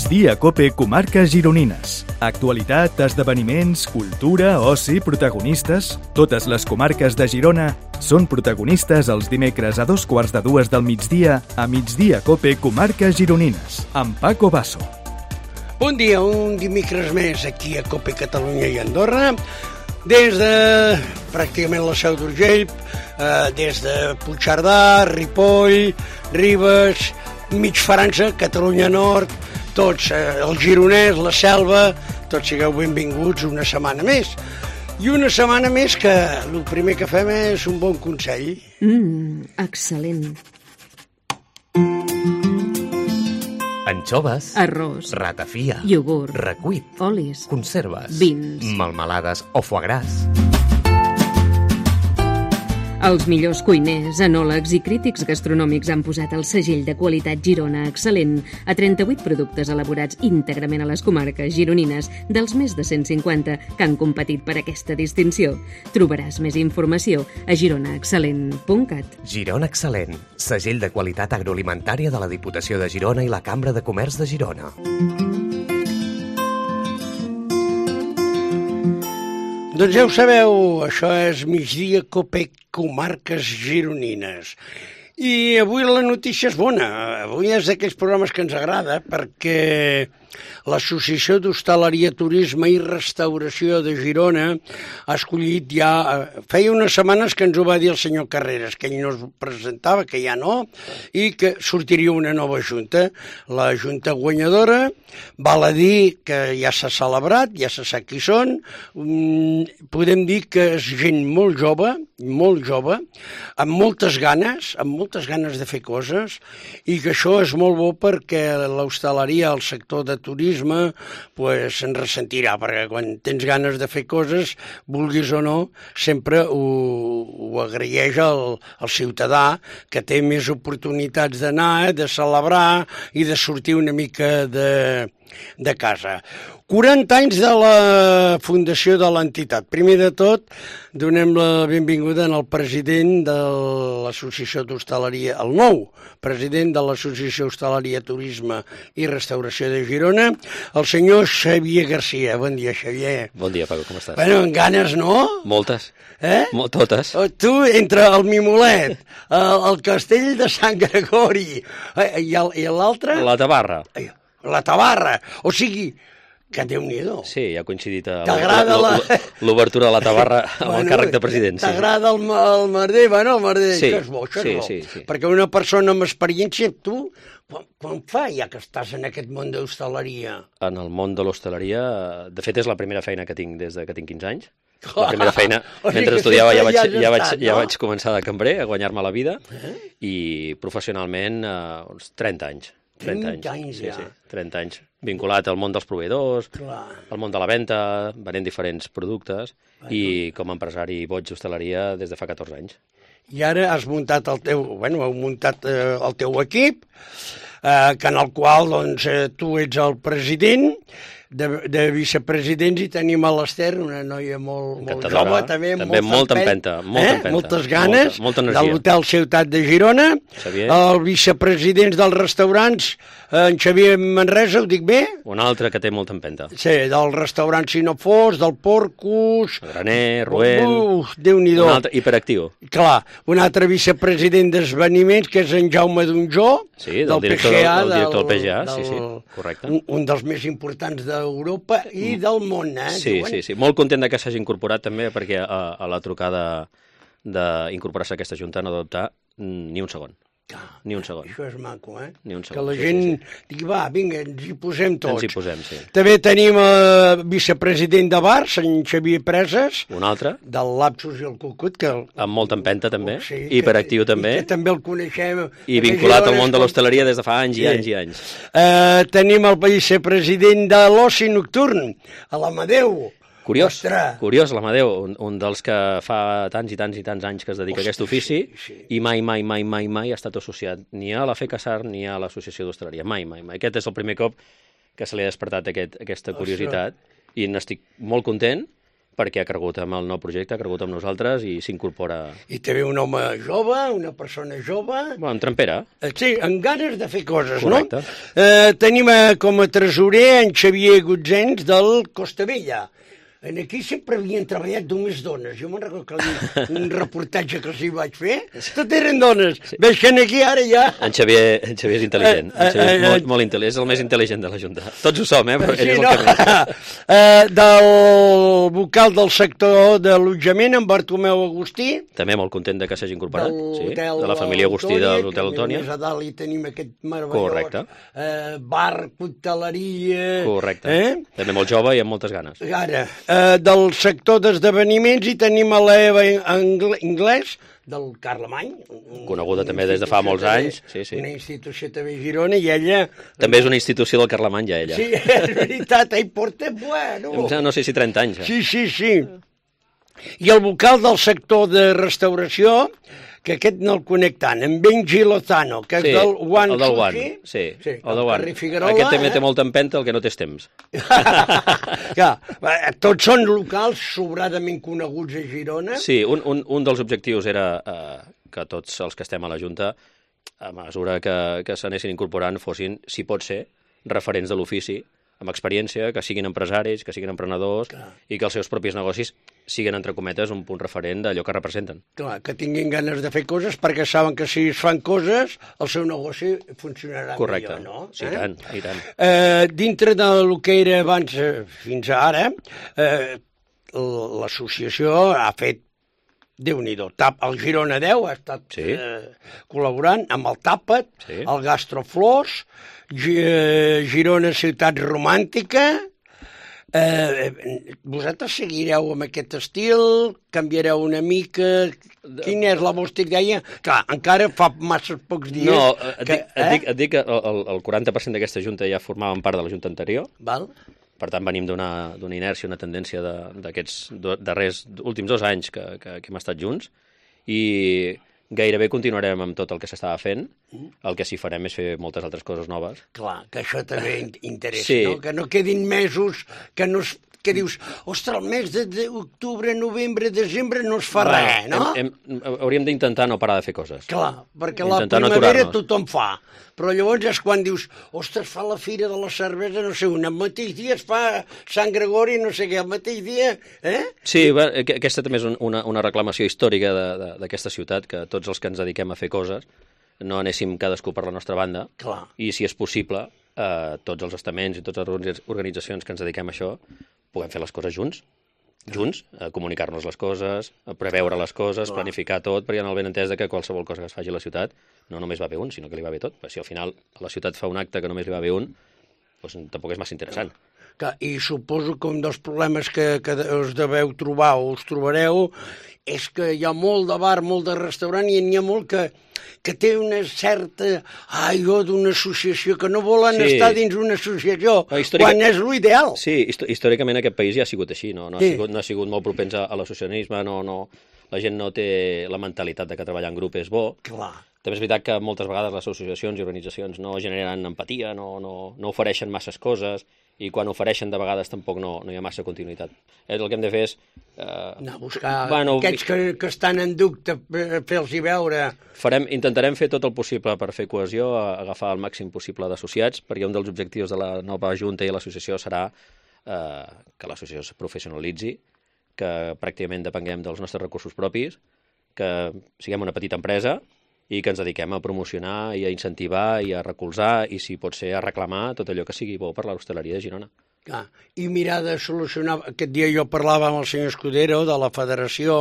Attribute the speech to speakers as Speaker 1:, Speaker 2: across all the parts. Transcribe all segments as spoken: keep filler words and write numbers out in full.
Speaker 1: Migdia Cope Comarques Gironines. Actualitat, esdeveniments, cultura, oci, protagonistes... Totes les comarques de Girona són protagonistes els dimecres a dos quarts de dues del migdia a Migdia Cope Comarques Gironines, amb Paco Basso.
Speaker 2: Bon dia, un dimecres més aquí a Cope Catalunya i Andorra, des de pràcticament la Seu d'Urgell, eh, des de Puigcerdà, Ripoll, Ribes, mig França, Catalunya Nord, tots, eh, el Gironès, la Selva, tots sigueu benvinguts una setmana més. I una setmana més que el primer que fem és un bon consell.
Speaker 3: Mmm, excel·lent.
Speaker 4: Anxoves,
Speaker 3: arròs,
Speaker 4: ratafia,
Speaker 3: iogurt,
Speaker 4: recuit,
Speaker 3: olis,
Speaker 4: conserves,
Speaker 3: vins,
Speaker 4: melmelades o foie gras.
Speaker 3: Els millors cuiners, enòlegs i crítics gastronòmics han posat el segell de qualitat Girona excel·lent a trenta-vuit productes elaborats íntegrament a les comarques gironines dels més de cent cinquanta que han competit per aquesta distinció. Trobaràs més informació a girona excel·lent punt cat.
Speaker 4: Girona Excel·lent, segell de qualitat agroalimentària de la Diputació de Girona i la Cambra de Comerç de Girona.
Speaker 2: Doncs ja ho sabeu, això és Migdia Cope Comarques Gironines. I avui la notícia és bona. Avui és d'aquells programes que ens agrada perquè l'Associació d'Hostaleria, Turisme i Restauració de Girona ha escollit ja... Feia unes setmanes que ens ho va dir el senyor Carreras, que ell no es presentava, que ja no, i que sortiria una nova junta. La junta guanyadora val a dir que ja s'ha celebrat, ja se sap qui són. Podem dir que és gent molt jove, molt jove, amb moltes ganes, amb moltes ganes de fer coses, i que això és molt bo perquè l'hostaleria, el sector de turisme, pues, se'n ressentirà, perquè quan tens ganes de fer coses, vulguis o no, sempre ho, ho agraeix el, el ciutadà, que té més oportunitats d'anar, de celebrar i de sortir una mica de, de casa. quaranta anys de la fundació de l'entitat. Primer de tot, donem la benvinguda al president de l'Associació d'Hostaleria, el nou president de l'Associació Hostaleria, Turisme i Restauració de Girona, el senyor Xavier Garcia. Bon dia, Xavier.
Speaker 5: Bon dia, Paco, com estàs?
Speaker 2: Bueno, en ganes, no?
Speaker 5: Moltes.
Speaker 2: Eh?
Speaker 5: Molt, totes.
Speaker 2: Tu, entre el Mimolet, el, el castell de Sant Gregori i l'altre...
Speaker 5: La Tabarra.
Speaker 2: La Tabarra. O sigui... Que Déu-n'hi-do.
Speaker 5: Sí, ja ha coincidit
Speaker 2: T'agrada la...
Speaker 5: l'obertura de la Tabarra amb
Speaker 2: bueno,
Speaker 5: el càrrec de president.
Speaker 2: T'agrada el, el merder? Bueno, el merder,
Speaker 5: sí,
Speaker 2: això és bo, això
Speaker 5: sí,
Speaker 2: és bo.
Speaker 5: Sí, sí.
Speaker 2: Perquè una persona amb experiència, tu, quan, quan fa ja que estàs en aquest món d'hostaleria?
Speaker 5: En el món de l'hostaleria, de fet, és la primera feina que tinc des de que tinc quinze anys. La primera feina,
Speaker 2: o sigui
Speaker 5: mentre estudiava ja vaig, ja, vaig,
Speaker 2: estat, no?
Speaker 5: ja vaig començar de cambrer a guanyar-me la vida
Speaker 2: eh?
Speaker 5: i professionsionalment eh, uns trenta anys. trenta anys,
Speaker 2: anys
Speaker 5: sí,
Speaker 2: ja.
Speaker 5: sí, trenta anys, vinculat al món dels proveïdors,
Speaker 2: Clar.
Speaker 5: al món de la venda, venent diferents productes, bueno. I com a empresari boig d'hostaleria des de fa catorze anys.
Speaker 2: I ara has muntat el teu, bueno, heu muntat eh, el teu equip, eh, que en el qual doncs, eh, tu ets el president. De, de vicepresidents i tenim a l'Ester, una noia molt, molt jove, també,
Speaker 5: també molta empenta, molta
Speaker 2: eh?
Speaker 5: empenta,
Speaker 2: moltes ganes,
Speaker 5: molta, molta
Speaker 2: de l'Hotel Ciutat de Girona,
Speaker 5: Xavier.
Speaker 2: El vicepresident dels restaurants, en Xavier Manresa, ho dic bé?
Speaker 5: Un altre que té molta empenta.
Speaker 2: Sí, del restaurant Sinofors, del Porcus...
Speaker 5: Graner, Ruel...
Speaker 2: Uf, Déu-n'hi-do.
Speaker 5: Un altre hiperactiu.
Speaker 2: Clar, un altre vicepresident d'esveniments, que és en Jaume Donjó,
Speaker 5: sí, del, del director
Speaker 2: P G A,
Speaker 5: del, del director del P G A,
Speaker 2: del,
Speaker 5: sí, sí, correcte.
Speaker 2: Un, un dels més importants d'Europa i del món, eh?
Speaker 5: Sí,
Speaker 2: diuen?
Speaker 5: sí, sí. Molt content que s'hagi incorporat també, perquè a, a la trucada d'incorporar-se a aquesta junta no adoptar ni un segon.
Speaker 2: Ah,
Speaker 5: ni un segon.
Speaker 2: Això és maco, eh?
Speaker 5: Ni un segon.
Speaker 2: Que la
Speaker 5: sí,
Speaker 2: gent
Speaker 5: sí, sí.
Speaker 2: digui, va, vinga, ens hi posem tots.
Speaker 5: Ens hi posem, sí.
Speaker 2: També tenim el vicepresident de Bars, en Xavier Preses.
Speaker 5: Un altre.
Speaker 2: Del Lapsus i el Cucut. Que el...
Speaker 5: Amb molta empenta, també.
Speaker 2: Oh, sí,
Speaker 5: hiperactiu,
Speaker 2: que,
Speaker 5: també.
Speaker 2: I que també el coneixem.
Speaker 5: I vinculat al món de l'hostaleria des de fa anys i sí. anys i anys.
Speaker 2: Uh, tenim el vicepresident de l'Oci Nocturn, a l'Amadeu.
Speaker 5: Curiós,
Speaker 2: Ostres.
Speaker 5: curiós l'Amadeu, un, un dels que fa tants i tants i tants anys que es dedica Ostres, a aquest ofici
Speaker 2: sí, sí.
Speaker 5: i mai, mai, mai, mai, mai ha estat associat ni a la FECASAR ni a l'Associació d'Hostaleria. Mai, mai, mai. Aquest és el primer cop que se li ha despertat aquest, aquesta curiositat. Ostres. I n'estic molt content perquè ha cregut amb el nou projecte, ha cregut amb nosaltres i s'incorpora...
Speaker 2: I també un home jove, una persona jove...
Speaker 5: Bueno, en trempera.
Speaker 2: Sí, amb ganes de fer coses,
Speaker 5: correcte.
Speaker 2: No? Eh, tenim com a tresorer en Xavier Gutzens del Costa Vella. En aquí sempre havien treballat només dones. Jo me'n recordo que un reportatge que els hi vaig fer, tot eren dones. Sí. Veig que aquí ara ja...
Speaker 5: En Xavier, en Xavier és intel·ligent. En Xavier és molt, molt intel·ligent. És el més intel·ligent de la Junta. Tots ho som, eh? Però ell
Speaker 2: sí,
Speaker 5: és el
Speaker 2: no?
Speaker 5: que més.
Speaker 2: eh, del vocal del sector d'allotjament, en Bartomeu Agustí.
Speaker 5: També molt content de que s'hagi incorporat. Sí, de la
Speaker 2: Autònia,
Speaker 5: família Agustí de l'Hotel Autònia.
Speaker 2: Més a dalt hi tenim aquest meravellós
Speaker 5: Correcte.
Speaker 2: Eh, bar, cocteleria...
Speaker 5: Correcte.
Speaker 2: Eh?
Speaker 5: També molt jove i amb moltes ganes.
Speaker 2: Ara, eh, del sector d'esdeveniments hi tenim a l'Eva Anglès, del Carlemany.
Speaker 5: Coneguda també des de fa molts anys. Sí, sí.
Speaker 2: Una institució també a Girona, i ella...
Speaker 5: També és una institució del Carlemany, ja, ella.
Speaker 2: Sí, és veritat, ell porta, bueno...
Speaker 5: No sé si trenta anys, ja.
Speaker 2: Sí, sí, sí. I el vocal del sector de restauració, que aquest no el conec tant, en Benji Lozano, que és
Speaker 5: sí,
Speaker 2: del One
Speaker 5: el del
Speaker 2: Sushi.
Speaker 5: One, sí,
Speaker 2: sí,
Speaker 5: el del One.
Speaker 2: Figuerola,
Speaker 5: aquest també
Speaker 2: eh?
Speaker 5: té molta empenta, el que no té temps.
Speaker 2: Ja, tots són locals sobradament coneguts a Girona.
Speaker 5: Sí, un, un, un dels objectius era eh, que tots els que estem a la Junta, a mesura que, que s'anessin incorporant, fossin, si pot ser, referents de l'ofici, amb experiència, que siguin empresaris, que siguin emprenedors, clar, i que els seus propis negocis siguin, entre cometes, un punt referent d'allò que representen.
Speaker 2: Clar, que tinguin ganes de fer coses perquè saben que si es fan coses el seu negoci funcionarà
Speaker 5: correcte.
Speaker 2: Millor, no?
Speaker 5: Sí, eh? tant, i tant.
Speaker 2: Eh, dintre del que era abans eh, fins ara, eh, l'associació ha fet Déu-n'hi-do. El Girona deu ha estat sí. eh, col·laborant amb el Tàpat, sí. el Gastroflors, Girona Ciutat Romàntica. Eh, vosaltres seguireu amb aquest estil? Canviareu una mica? Quina és la vostra idea? Clar, encara fa massa pocs dies...
Speaker 5: No, et, que, dic, eh? et, dic, et dic que el, el quaranta per cent d'aquesta junta ja formaven part de la junta anterior.
Speaker 2: Val.
Speaker 5: Per tant, venim d'una inèrcia, una tendència d'aquests darrers últims dos anys que, que, que hem estat junts, i gairebé continuarem amb tot el que s'estava fent. El que sí farem és fer moltes altres coses noves.
Speaker 2: Clar, que això també interessa,
Speaker 5: sí.
Speaker 2: no? Que no quedin mesos que no es... que dius, ostres, el mes d'octubre, novembre, desembre no es fa no, res, no?
Speaker 5: Hem, hem, hauríem d'intentar no parar de fer coses.
Speaker 2: Clar, perquè
Speaker 5: intentar
Speaker 2: la primavera
Speaker 5: no
Speaker 2: tothom fa, però llavors és quan dius, ostres, fa la fira de la cervesa, no sé, un el mateix dia es fa Sant Gregori, no sé què, el mateix dia, eh?
Speaker 5: Sí, bé, aquesta també és una, una reclamació històrica d'aquesta ciutat, que tots els que ens dediquem a fer coses no anéssim cadascú per la nostra banda.
Speaker 2: Clar.
Speaker 5: I, si és possible, eh, tots els estaments i totes les organitzacions que ens dediquem a això puguem fer les coses junts, junts, a comunicar-nos les coses, a preveure les coses, clar, planificar tot, perquè hi ha el benentès de que qualsevol cosa que es faci a la ciutat no només va bé un, sinó que li va bé tot. Si al final a la ciutat fa un acte que només li va bé un, doncs tampoc és massa interessant.
Speaker 2: Clar, i suposo que un dels problemes que, que us deveu trobar o us trobareu és que hi ha molt de bar, molt de restaurant, i n'hi ha molt que, que té una certa aigua d'una associació, que no volen sí. estar dins una associació, no, històrica... quan és l'ideal.
Speaker 5: Sí, històricament aquest país ja ha sigut així, no, no, ha, sí. sigut, no ha sigut molt propens a l'associacionisme, no, no, la gent no té la mentalitat de que treballar en grup és bo.
Speaker 2: Clar.
Speaker 5: També és veritat que moltes vegades les associacions i organitzacions no generen empatia, no, no, no ofereixen masses coses, i quan ofereixen de vegades tampoc no, no hi ha massa continuïtat. El que hem de fer és...
Speaker 2: Eh, no, buscar bueno, aquests que, que estan en dubte, fer-los veure...
Speaker 5: Farem, intentarem fer tot el possible per fer cohesió, agafar el màxim possible d'associats, perquè un dels objectius de la nova Junta i l'associació serà eh, que l'associació es professionalitzi, que pràcticament depenguem dels nostres recursos propis, que siguem una petita empresa, i que ens dediquem a promocionar i a incentivar i a recolzar i, si pot ser, a reclamar tot allò que sigui bo per l'hostaleria de Girona.
Speaker 2: Ah, i mirar de solucionar... Aquest dia jo parlava amb el senyor Escudero de la federació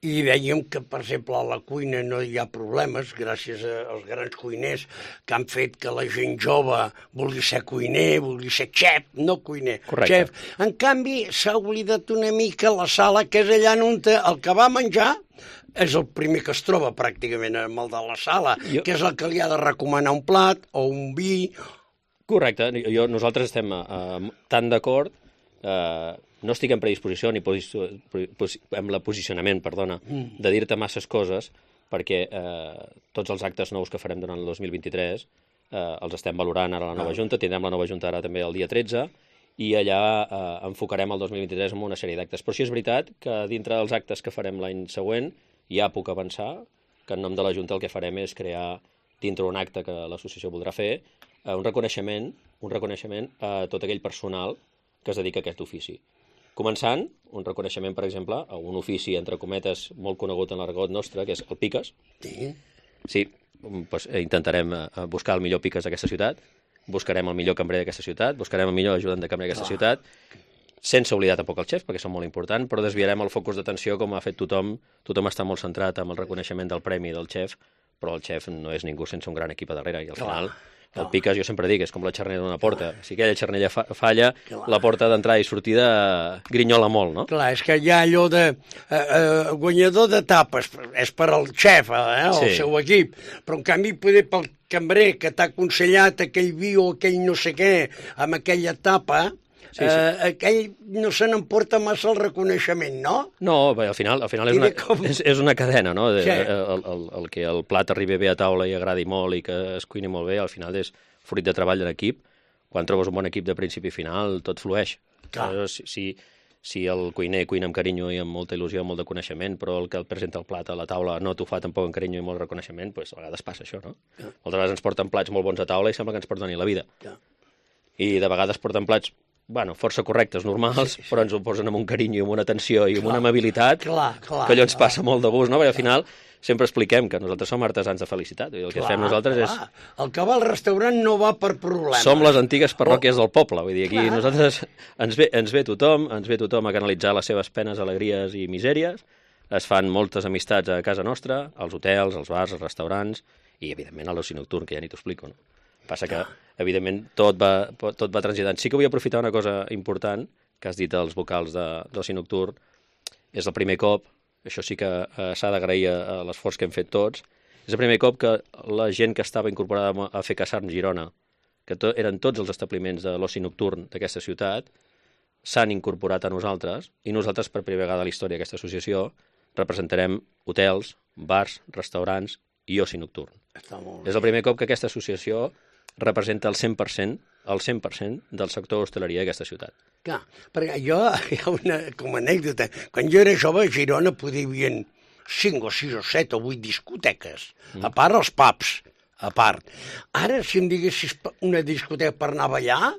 Speaker 2: i dèiem que, per exemple, a la cuina no hi ha problemes gràcies als grans cuiners que han fet que la gent jove vulgui ser cuiner, vulgui ser xef, no cuiner,
Speaker 5: correcte,
Speaker 2: xef. En canvi, s'ha oblidat una mica la sala, que és allà on el que va menjar és el primer que es troba pràcticament amb el de la sala, jo... que és el que li ha de recomanar un plat o un vi.
Speaker 5: Correcte, jo, nosaltres estem eh, tan d'acord, eh, no estic en predisposició ni posi amb el posicionament, perdona, mm. de dir-te masses coses, perquè eh, tots els actes nous que farem durant el dos mil vint-i-tres eh, els estem valorant ara a la nova ah. Junta, tindrem la nova Junta ara també el dia tretze, i allà eh, enfocarem el dos mil vint-i-tres amb una sèrie d'actes. Però sí és veritat que dintre dels actes que farem l'any següent ja puc avançar que en nom de la Junta el que farem és crear, dintre un acte que l'associació voldrà fer, eh, un reconeixement, un reconeixement a tot aquell personal que es dedica a aquest ofici. Començant, un reconeixement, per exemple, a un ofici, entre cometes, molt conegut en l'argot nostre, que és el piques.
Speaker 2: Sí.
Speaker 5: Sí, doncs intentarem buscar el millor piques d'aquesta ciutat, buscarem el millor cambrer d'aquesta ciutat, buscarem el millor ajudant de cambrer d'aquesta ah. ciutat, sense oblidar tampoc el xef, perquè són molt importants, però desviarem el focus d'atenció com ha fet tothom. Tothom està molt centrat amb el reconeixement del premi del xef, però el xef no és ningú sense un gran equip a darrere, i al final... El piques, jo sempre dic, és com la xarnera d'una porta. Si aquella xarnera fa falla, clar, la porta d'entrada i sortida grinyola molt, no? Clar,
Speaker 2: és que hi ha allò de eh, eh, guanyador d'etapes, és per al xef, eh, el sí. seu equip, però en canvi poder pel cambrer que t'ha aconsellat aquell vi o aquell no sé què amb aquella etapa... Sí, sí. Eh, aquell no se n'emporta massa el reconeixement, no?
Speaker 5: No, bé, al final, al final és, una, com... és, és una cadena, no? De, sí. el, el, el que el plat arribi bé a taula i agradi molt i que es cuini molt bé, al final és fruit de treball en equip. Quan trobes un bon equip de principi i final, tot flueix. Si, si, si el cuiner cuina amb carinyo i amb molta il·lusió, amb molt de coneixement, però el que el presenta el plat a la taula no t'ho fa tampoc amb carinyo i molt reconeixement, doncs a vegades passa això, no? Ja. Moltes vegades ens porten plats molt bons a taula i sembla que ens porten la vida. Ja. I de vegades porten plats bueno, força correctes, normals, sí, sí. però ens ho posen amb un carinyo i amb una atenció i amb clar, una amabilitat clar, clar, que allò ens clar. passa molt de gust, no? Perquè al final sempre expliquem que nosaltres som artesans de felicitat. I el que clar, fem nosaltres clar. és...
Speaker 2: El que va al restaurant no va per problemes.
Speaker 5: Som les antigues parròquies oh. del poble. Vull dir, aquí clar. nosaltres ens ve, ens ve tothom, ens ve tothom a canalitzar les seves penes, alegries i misèries. Es fan moltes amistats a casa nostra, als hotels, als bars, als restaurants i, evidentment, a l'oci nocturn, que ja ni t'ho explico, no? Passa que, evidentment, tot va, tot va transitant. Sí que vull aprofitar una cosa important que has dit als vocals d'oci nocturn. És el primer cop, això sí que eh, s'ha d'agrair a, a l'esforç que hem fet tots, és el primer cop que la gent que estava incorporada a Fer Casarn Girona, que to, eren tots els establiments de l'oci nocturn d'aquesta ciutat, s'han incorporat a nosaltres, i nosaltres, per primera vegada a la història d'aquesta associació, representarem hotels, bars, restaurants i oci nocturn. És el primer cop que aquesta associació representa el cent per cent, el cent per cent del sector hostaleria d'aquesta ciutat.
Speaker 2: Clar, perquè jo, hi ha una, com a anècdota, quan jo era jove a Girona podia haver cinc o sis o set o vuit discoteques, mm. a part els pubs, a part. Ara, si em diguessis una discoteca per anar a ballar,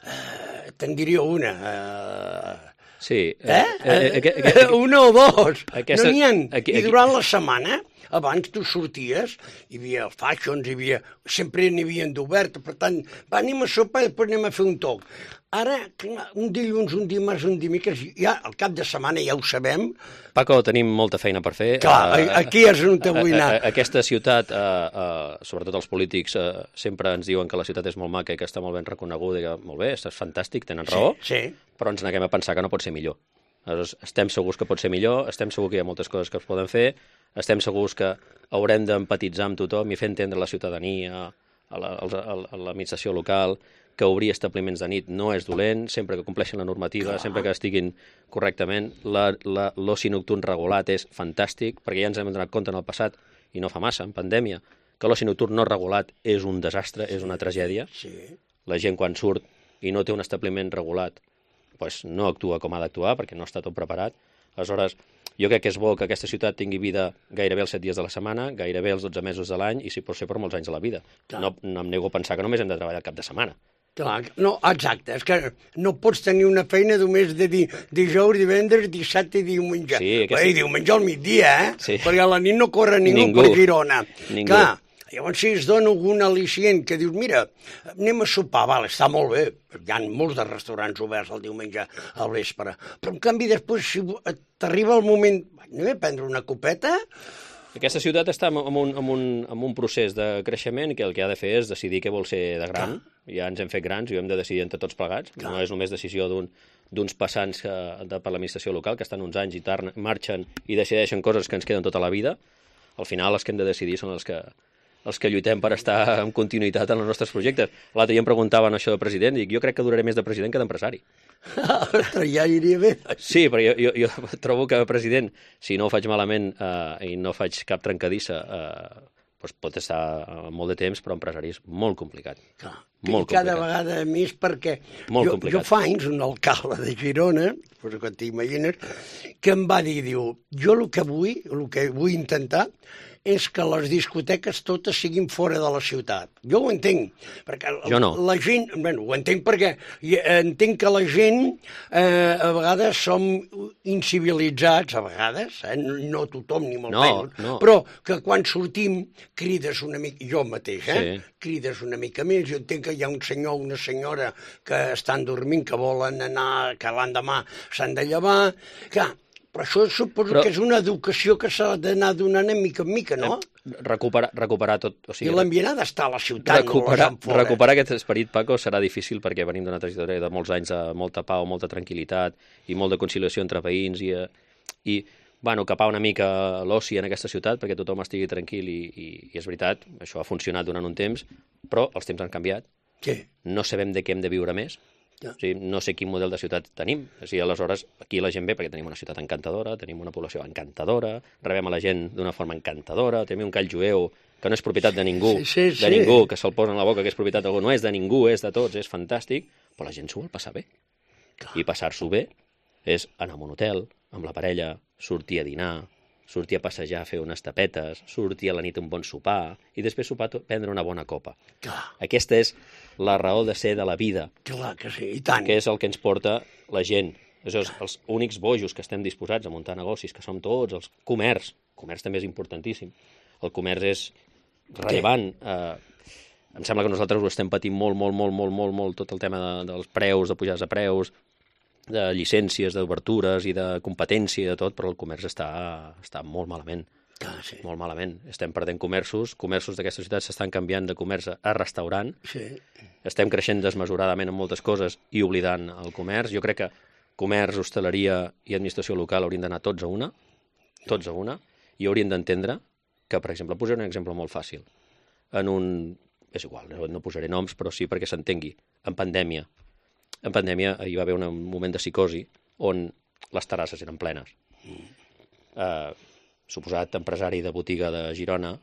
Speaker 2: eh, te'n diria una. Eh,
Speaker 5: sí.
Speaker 2: Eh? eh, eh, eh, eh, eh una o dos. Aquesta, no n'hi ha. Aquí, aquí. I durant la setmana... Abans tu sorties, hi havia fashions, hi havia... sempre n'hi havia d'obert, per tant, va, anem a sopar i després anem a fer un toc. Ara, un dilluns, un dimarts, un dimecres, ja al cap de setmana ja ho sabem.
Speaker 5: Paco, tenim molta feina per fer.
Speaker 2: Clar, uh, aquí és on te vull anar.
Speaker 5: Aquesta ciutat, uh, uh, sobretot els polítics, uh, sempre ens diuen que la ciutat és molt maca i que està molt ben reconeguda, i que molt bé, és fantàstic, tenen raó,
Speaker 2: sí, sí.
Speaker 5: Però ens neguem a pensar que no pot ser millor. Aleshores, estem segurs que pot ser millor, estem segurs que hi ha moltes coses que es poden fer, estem segurs que haurem d'empatitzar amb tothom i fer entendre a la ciutadania, a l'administració local, que obrir establiments de nit no és dolent, sempre que compleixin la normativa, clar. Sempre que estiguin correctament. L'oci nocturn regulat és fantàstic, perquè ja ens hem donat compte en el passat, i no fa massa, en pandèmia, que l'oci nocturn no regulat és un desastre, és una tragèdia.
Speaker 2: Sí.
Speaker 5: La gent quan surt i no té un establiment regulat, pues no actua com ha d'actuar, perquè no està tot preparat. Aleshores, jo crec que és bo que aquesta ciutat tingui vida gairebé els set dies de la setmana, gairebé els dotze mesos de l'any, i si pot ser per molts anys de la vida. No, no em nego a pensar que només hem de treballar el cap de setmana.
Speaker 2: Clar, no, exacte, és que no pots tenir una feina només de dir dijous, divendres, dissabte i diumenge.
Speaker 5: Sí, aquesta...
Speaker 2: I diumenge al migdia, eh?
Speaker 5: Sí.
Speaker 2: Perquè a la nit no corre ningú, ningú. per Girona.
Speaker 5: Ningú.
Speaker 2: Clar, llavors si es dona algun al·licient que dius, mira, anem a sopar, val, està molt bé, hi ha molts de restaurants oberts el diumenge al vespre, però en canvi després si t'arriba el moment, anem a prendre una copeta...
Speaker 5: Aquesta ciutat està en un, en, un, en un procés de creixement que el que ha de fer és decidir què vol ser de gran. Clar. Ja ens hem fet grans i ho hem de decidir entre tots plegats. Clar. No és només decisió d'un d'uns passants que, de, per l'administració local que estan uns anys i tar, marxen i decideixen coses que ens queden tota la vida. Al final els que hem de decidir són els que, els que lluitem per estar en continuïtat en els nostres projectes. L'altre dia em preguntaven això de president i dic, jo crec que duraré més de president que d'empresari.
Speaker 2: Ostres, ja iria bé.
Speaker 5: Sí, però jo, jo, jo trobo que president, si no ho faig malament eh, i no faig cap trencadissa, eh, doncs pot estar molt de temps, però empresari és molt complicat.
Speaker 2: Clar.
Speaker 5: Molt
Speaker 2: I cada
Speaker 5: complicat.
Speaker 2: vegada més perquè
Speaker 5: Molt
Speaker 2: jo,
Speaker 5: complicat.
Speaker 2: jo fa anys un alcalde de Girona, pues, que t'imagines, que em va dir, diu, jo el que vull, el que vull intentar és que les discoteques totes siguin fora de la ciutat. Jo ho entenc, perquè
Speaker 5: Jo no.
Speaker 2: la gent... Bueno, ho entenc perquè entenc que la gent eh, a vegades som incivilitzats, a vegades, eh, no tothom ni molt
Speaker 5: No,
Speaker 2: menys,
Speaker 5: no.
Speaker 2: però que quan sortim crides una mica, jo mateix, eh?
Speaker 5: Sí.
Speaker 2: crides una mica més. Jo entenc que hi ha un senyor o una senyora que estan dormint, que volen anar, que l'endemà s'han de llevar. Clar, però això suposo
Speaker 5: Però-
Speaker 2: que és una educació que s'ha d'anar donant de mica en mica, no?
Speaker 5: Recuperar, recuperar tot... O
Speaker 2: I
Speaker 5: sigui,
Speaker 2: l'ambient ha d'estar a la ciutat,
Speaker 5: recuperar,
Speaker 2: no a fora.
Speaker 5: recuperar aquest esperit, Paco, serà difícil perquè venim d'una trajectòria de molts anys de molta pau, molta tranquil·litat i molt de conciliació entre veïns i, eh, i bueno, capar una mica l'oci en aquesta ciutat perquè tothom estigui tranquil i, i, i és veritat, això ha funcionat durant un temps, però els temps han canviat,
Speaker 2: Sí.
Speaker 5: no sabem de què hem de viure més,
Speaker 2: Ja.
Speaker 5: o sigui, no sé quin model de ciutat tenim. O sigui, aleshores, aquí la gent ve perquè tenim una ciutat encantadora, tenim una població encantadora, rebem a la gent d'una forma encantadora, tenim un call jueu que no és propietat de ningú,
Speaker 2: Sí, sí,
Speaker 5: de
Speaker 2: sí.
Speaker 5: ningú, que se'l posa en la boca que és propietat d'algú, no és de ningú, és de tots, és fantàstic, però la gent s'ho vol passar bé. I passar-s'ho bé és anar a un hotel, amb la parella, sortir a dinar, sortir a passejar, a fer unes tapetes, sortir a la nit a un bon sopar i després sopar, to- prendre una bona copa.
Speaker 2: Clar,
Speaker 5: Aquesta és la raó de ser de la vida,
Speaker 2: clar que sí, i tant.
Speaker 5: que és el que ens porta la gent. Això és els únics bojos que estem disposats a muntar negocis, que som tots, els comerç. El comerç també és importantíssim. El comerç és rellevant. Eh, em sembla que nosaltres ho estem patint molt, molt, molt, molt, molt, molt, tot el tema de, dels preus, de pujades de preus, de llicències, d'obertures i de competència i de tot, però el comerç està, està molt malament.
Speaker 2: Clar, sí.
Speaker 5: Molt malament. Estem perdent comerços, comerços d'aquesta ciutat s'estan canviant de comerç a restaurant,
Speaker 2: Sí.
Speaker 5: estem creixent desmesuradament en moltes coses i oblidant el comerç. Jo crec que comerç, hostaleria i administració local haurien d'anar tots a una, tots a una, i haurien d'entendre que, per exemple, posaré un exemple molt fàcil. En un... és igual, no, no posaré noms, però sí perquè s'entengui. En pandèmia, en pandèmia hi va haver un moment de psicosi on les terrasses eren plenes. Eh, suposat empresari de botiga de Girona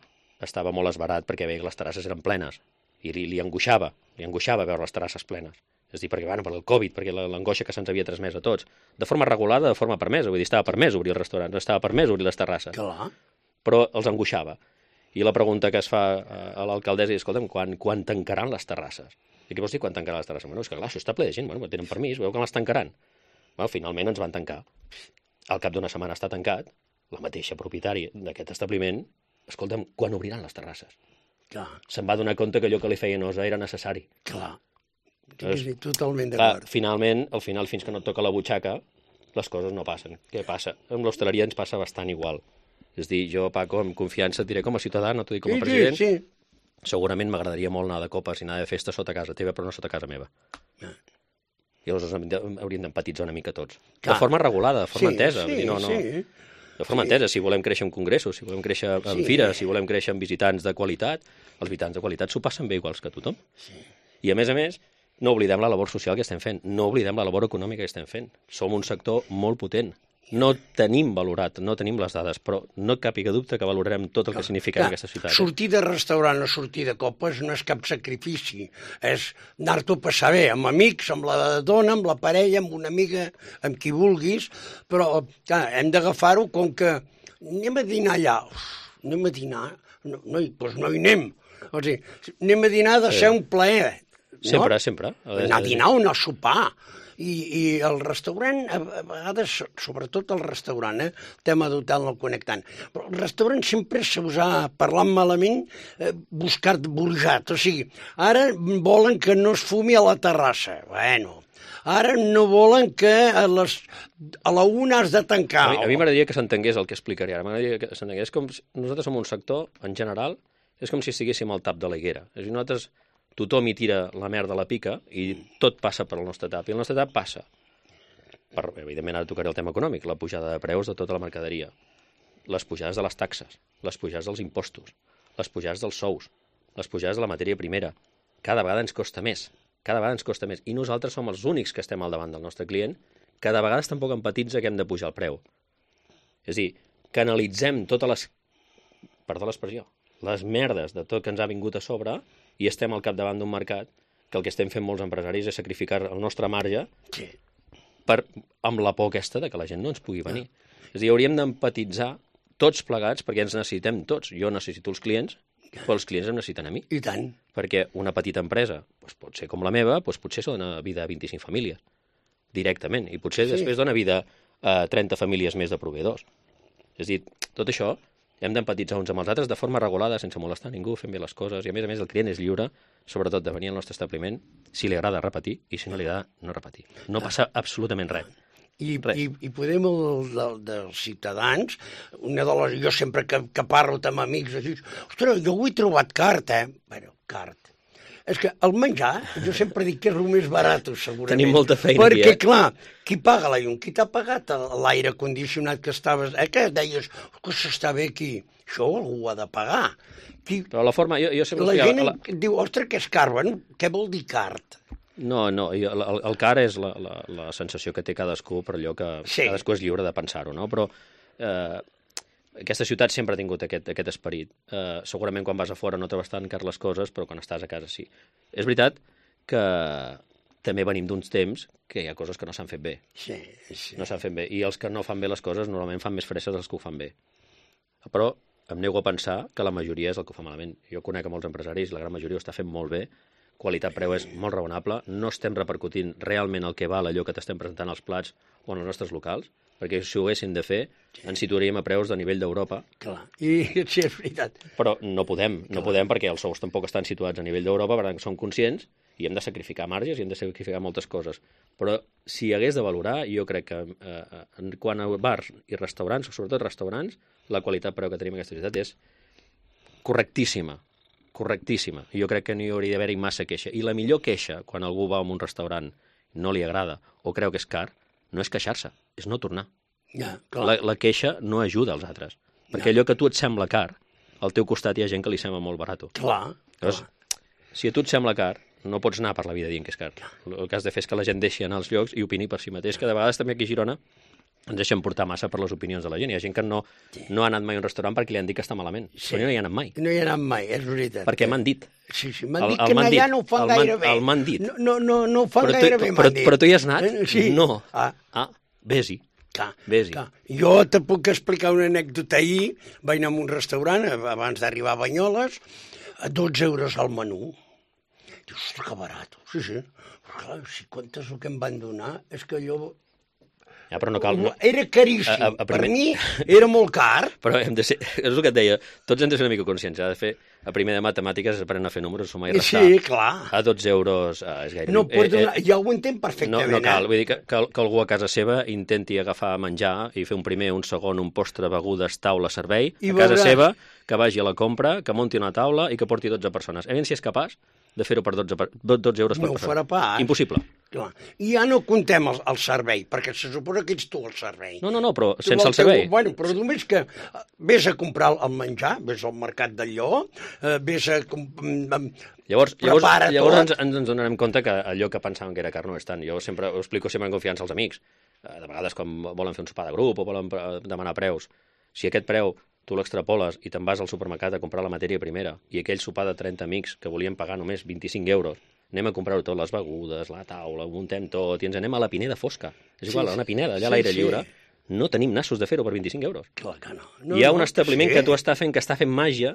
Speaker 5: estava molt esbarat perquè veia que les terrasses eren plenes i li, li angoixava, li angoixava veure les terrasses plenes. És a dir, perquè, bueno, per el Covid, perquè la- l'angoixa que se'ns havia transmès a tots. De forma regulada, de forma permesa, vull dir, estava permès obrir el restaurant, no estava permès obrir les terrasses,
Speaker 2: Clar.
Speaker 5: però els angoixava. I la pregunta que es fa a l'alcaldessa és, escolta'm, quan, quan tancaran les terrasses? I què vols dir quan tancaran les terrasses? Bueno, és que clar, això està ple de gent, bueno, tenen permís, veu que les tancaran. Bueno, finalment ens van tancar. Al cap d'una setmana està tancat, la mateixa propietària d'aquest establiment, escolta'm, quan obriran les terrasses?
Speaker 2: Clar,
Speaker 5: Se'n va donar compte que allò que li feia nosa era necessari.
Speaker 2: clar.
Speaker 5: Doncs,
Speaker 2: Sí, totalment
Speaker 5: Clar,
Speaker 2: d'acord.
Speaker 5: finalment, al final, fins que no et toca la butxaca, les coses no passen. Què passa? Amb l'hostaleria ens passa bastant igual. És dir, jo, Paco, amb confiança et diré com a ciutadà, no t'ho dic com a
Speaker 2: Sí,
Speaker 5: president,
Speaker 2: sí, sí.
Speaker 5: segurament m'agradaria molt anar de copes i anar de festa sota casa teva, però no sota casa meva.
Speaker 2: Ah.
Speaker 5: I llavors hem de- hauríem d'empatitzar una mica tots.
Speaker 2: Clar.
Speaker 5: De forma regulada, de forma
Speaker 2: sí,
Speaker 5: entesa.
Speaker 2: Sí,
Speaker 5: vull dir, no, no,
Speaker 2: sí.
Speaker 5: de forma entesa, si volem créixer en congressos, si volem créixer en
Speaker 2: Sí.
Speaker 5: fires, si volem créixer en visitants de qualitat, els visitants de qualitat s'ho passen bé iguals que tothom. I a més a més, no oblidem la labor social que estem fent, no oblidem la labor econòmica que estem fent. Som un sector molt potent. No tenim valorat, no tenim les dades, però no càpiga dubte que valorarem tot el que significa
Speaker 2: Clar,
Speaker 5: aquesta ciutat. eh?
Speaker 2: Sortir de restaurant o sortir de copes no és cap sacrifici, és anar-t'ho a passar bé, amb amics, amb la dona, amb la parella, amb una amiga, amb qui vulguis, però clar, hem d'agafar-ho com que anem a dinar allà, uf, anem a dinar, no, no, hi- doncs no hi anem. O sigui, anem a dinar ha de ser un plaer.
Speaker 5: Sempre,
Speaker 2: no?
Speaker 5: sempre.
Speaker 2: Anar a dinar o anar a sopar. I, i el restaurant, a, a vegades, sobretot el restaurant, eh, el tema d'hotel no el conec tant, però el restaurant sempre s'us ha, parlant malament, eh, buscat burjat. O sigui, ara volen que no es fumi a la terrassa. Bueno, ara no volen que a, les, a la una has de tancar.
Speaker 5: A mi, a mi m'agradaria que s'entengués el que explicaré ara. M'agradaria que s'entengués. És com si, nosaltres som un sector, en general, és com si estiguéssim al tap de la higuera. És a dir, nosaltres, tothom hi tira la merda a la pica i tot passa per el nostre tap. I el nostre tap passa. Per, evidentment, ara tocaré el tema econòmic, la pujada de preus de tota la mercaderia, les pujades de les taxes, les pujades dels impostos, les pujades dels sous, les pujades de la matèria primera. Cada vegada ens costa més. Cada vegada ens costa més. I nosaltres som els únics que estem al davant del nostre client, que de vegades tampoc empatitza que hem de pujar el preu. És a dir, canalitzem totes les... Perdó l'expressió. les merdes de tot que ens ha vingut a sobre i estem al capdavant d'un mercat que el que estem fent molts empresaris és sacrificar el nostre marge
Speaker 2: Sí.
Speaker 5: per, amb la por aquesta de que la gent no ens pugui venir. És a dir, hauríem d'empatitzar tots plegats perquè ens necessitem tots. Jo necessito els clients, però els clients em necessiten a mi.
Speaker 2: I tant.
Speaker 5: Perquè una petita empresa, doncs pot ser com la meva, doncs potser dona vida a vint-i-cinc famílies, directament, i potser
Speaker 2: Sí.
Speaker 5: després dona vida a trenta famílies més de proveïdors. És a dir, tot això hem d'empatitzar uns amb els altres de forma regulada, sense molestar ningú, fent bé les coses, i a més a més el client és lliure, sobretot de venir al nostre establiment, si li agrada repetir, i si no li agrada no repetir. No passa absolutament res.
Speaker 2: I,
Speaker 5: Res.
Speaker 2: i, i podem, el, del, dels ciutadans, una de les, jo sempre que, que parlo amb amics, dic, ostres, jo ho he trobat cart, eh? Bueno, cart. És que el menjar, jo sempre dic que és el més barat, segurament.
Speaker 5: Tenim molta feina
Speaker 2: Perquè,
Speaker 5: aquí, eh?
Speaker 2: clar, qui paga la llum? Qui t'ha pagat l'aire condicionat que estaves... Eh, que deies, que s'està bé aquí? Això algú ho ha de pagar. Qui...
Speaker 5: Però la forma... Jo, jo sempre
Speaker 2: La
Speaker 5: explicava-
Speaker 2: gent
Speaker 5: la...
Speaker 2: diu, ostres, què és car? Bueno, què vol dir cart?
Speaker 5: No, no, jo- el, el car és la, la, la sensació que té cadascú per allò que
Speaker 2: Sí.
Speaker 5: cadascú és lliure de pensar-ho, no? Però eh, aquesta ciutat sempre ha tingut aquest, aquest esperit. Eh, segurament quan vas a fora no trobes tan car les coses, però quan estàs a casa sí. És veritat que també venim d'uns temps que hi ha coses que no s'han fet bé.
Speaker 2: Sí, sí.
Speaker 5: No s'han fet bé. I els que no fan bé les coses normalment fan més fresses dels que ho fan bé. Però em nego a pensar que la majoria és el que ho fa malament. Jo conec a molts empresaris, la gran majoria ho està fent molt bé, qualitat-preu és molt raonable, no estem repercutint realment el que val allò que t'estem presentant als plats o en els nostres locals, perquè si ho haguéssim de fer ens situaríem a preus de nivell d'Europa,
Speaker 2: Clar. I sí, és veritat.
Speaker 5: però no podem, no podem perquè els sous tampoc estan situats a nivell d'Europa, per tant som conscients i hem de sacrificar marges i hem de sacrificar moltes coses. Però si hagués de valorar, jo crec que eh, en quant a bars i restaurants, sobretot restaurants, la qualitat-preu que tenim en aquesta ciutat és correctíssima. correctíssima. I jo crec que no hi hauria d'haver-hi massa queixa. I la millor queixa, quan algú va a un restaurant no li agrada o creu que és car, no és queixar-se, és no tornar.
Speaker 2: Ja, clar.
Speaker 5: La, la queixa no ajuda als altres. Perquè allò que a tu et sembla car, al teu costat hi ha gent que li sembla molt barat.
Speaker 2: Clar,
Speaker 5: Llavors, si a tu et sembla car, no pots anar per la vida dient que és car. El que has de fer és que la gent deixi anar als llocs i opini per si mateix, que de vegades també aquí a Girona ens deixem portar massa per les opinions de la gent. Hi ha gent que no, no ha anat mai a un restaurant perquè li han dit que està malament.
Speaker 2: Sí.
Speaker 5: Però jo no hi he anat mai.
Speaker 2: No hi he anat mai, és veritat.
Speaker 5: Perquè m'han dit.
Speaker 2: Sí, sí, m'han
Speaker 5: El-
Speaker 2: dit
Speaker 5: el
Speaker 2: que
Speaker 5: m'han
Speaker 2: allà
Speaker 5: dit,
Speaker 2: no ho fan
Speaker 5: el m'han-
Speaker 2: gaire bé.
Speaker 5: el m'han dit.
Speaker 2: No, no, no, no ho fan
Speaker 5: Però tu,
Speaker 2: gaire bé,
Speaker 5: però,
Speaker 2: m'han dit.
Speaker 5: però tu hi has anat?
Speaker 2: Eh, Sí.
Speaker 5: No.
Speaker 2: Ah,
Speaker 5: Ah, vés-hi.
Speaker 2: clar,
Speaker 5: Vés-hi.
Speaker 2: clar. Jo te puc explicar una anècdota. Ahir vaig anar a un restaurant, abans d'arribar a Banyoles, a dotze euros al menú. Dius, ostres, que barat. Sí, sí. Però clar, si comptes el que em van donar, és que jo...
Speaker 5: Ja, però no cal... No.
Speaker 2: Era caríssim.
Speaker 5: A- a- a
Speaker 2: Per
Speaker 5: primer-
Speaker 2: mi era molt car.
Speaker 5: Però hem de ser... És el que et deia. Tots hem de ser una mica conscients. Ha de fer... A primer de matemàtiques es aprenen a fer números, sumar i restar.
Speaker 2: Sí, clar.
Speaker 5: A dotze euros eh, és gaire...
Speaker 2: No pots donar... Ja ho entenc
Speaker 5: No,
Speaker 2: perfectament.
Speaker 5: no cal,
Speaker 2: eh?
Speaker 5: vull dir que, que, que algú a casa seva intenti agafar menjar i fer un primer, un segon, un postre, begudes, taula, servei,
Speaker 2: I
Speaker 5: a casa
Speaker 2: veuràs.
Speaker 5: seva, que vagi a la compra, que munti una taula i que porti dotze persones. A veure si és capaç de fer-ho per dotze, per, dotze euros per
Speaker 2: No ho
Speaker 5: persona.
Speaker 2: farà pas.
Speaker 5: Impossible.
Speaker 2: Clar. I ja no comptem el, el servei, perquè se suposa que ets tu el servei.
Speaker 5: No, no, no, però
Speaker 2: Tu
Speaker 5: sense
Speaker 2: el
Speaker 5: el servei.
Speaker 2: Teu, bueno, però només que eh, vés a comprar el menjar, vés al mercat del Lleó, eh, vés a... com- mm,
Speaker 5: Llavors, llavors,
Speaker 2: prepara
Speaker 5: llavors
Speaker 2: tot.
Speaker 5: ens, ens donarem compte que allò que pensàvem que era car no és tant. Jo sempre ho explico sempre en confiança als amics. Eh, De vegades quan volen fer un sopar de grup o volen eh, demanar preus, si aquest preu tu l'extrapoles i te'n vas al supermercat a comprar la matèria primera i aquell sopar de trenta amics que volien pagar només vint-i-cinc euros, anem a comprar-ho tot, les begudes, la taula, ho muntem tot i ens anem a la Pineda fosca. És igual,
Speaker 2: Sí,
Speaker 5: a una Pineda, allà
Speaker 2: sí,
Speaker 5: a l'aire
Speaker 2: sí.
Speaker 5: lliure, no tenim nassos de fer-ho per vint-i-cinc euros.
Speaker 2: Clar que no.
Speaker 5: No, Hi ha
Speaker 2: no,
Speaker 5: un establiment
Speaker 2: sí.
Speaker 5: que tu està fent, que està fent màgia,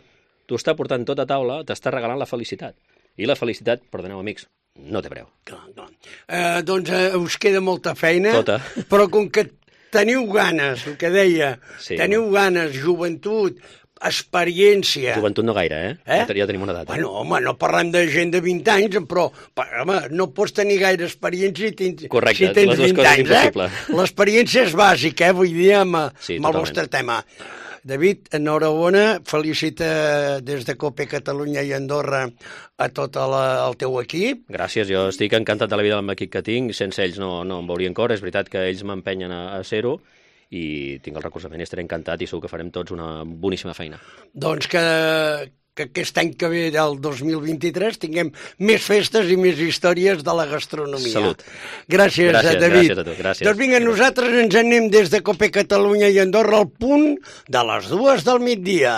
Speaker 5: tu està portant tot a taula, t'està regalant la felicitat. I la felicitat, perdoneu amics, no té preu.
Speaker 2: Clar, clar. Eh, doncs eh, us queda molta feina,
Speaker 5: Tota.
Speaker 2: però com que teniu ganes, el que deia,
Speaker 5: Sí.
Speaker 2: teniu ganes, joventut, experiència...
Speaker 5: Joventut no gaire, eh?
Speaker 2: Eh?
Speaker 5: Ja, ja tenim una edat. Eh?
Speaker 2: Bueno, home, no parlem de gent de vint anys, però, home, no pots tenir gaire experiència si tens,
Speaker 5: Correcte,
Speaker 2: si tens
Speaker 5: les dues
Speaker 2: vint
Speaker 5: coses és
Speaker 2: anys,
Speaker 5: impossible.
Speaker 2: eh? L'experiència és bàsica, eh? Vull dir, amb,
Speaker 5: Sí,
Speaker 2: amb el
Speaker 5: totalment.
Speaker 2: vostre tema. David, enhorabona, felicita des de COPE Catalunya i Andorra a tot la, el teu equip.
Speaker 5: Gràcies, jo estic encantat de la vida amb l'equip que tinc, sense ells no, no em veurien cor, és veritat que ells m'empenyen a, a ser-ho, i tinc el recolzament i estaré encantat i segur que farem tots una boníssima feina.
Speaker 2: Doncs que, que aquest any que ve, del dos mil vint-i-tres, tinguem més festes i més històries de la gastronomia.
Speaker 5: Salut.
Speaker 2: Gràcies,
Speaker 5: Gràcies,
Speaker 2: David.
Speaker 5: gràcies a tu, gràcies.
Speaker 2: Doncs vinga, nosaltres ens anem des de COPE Catalunya i Andorra al punt de les dues del migdia.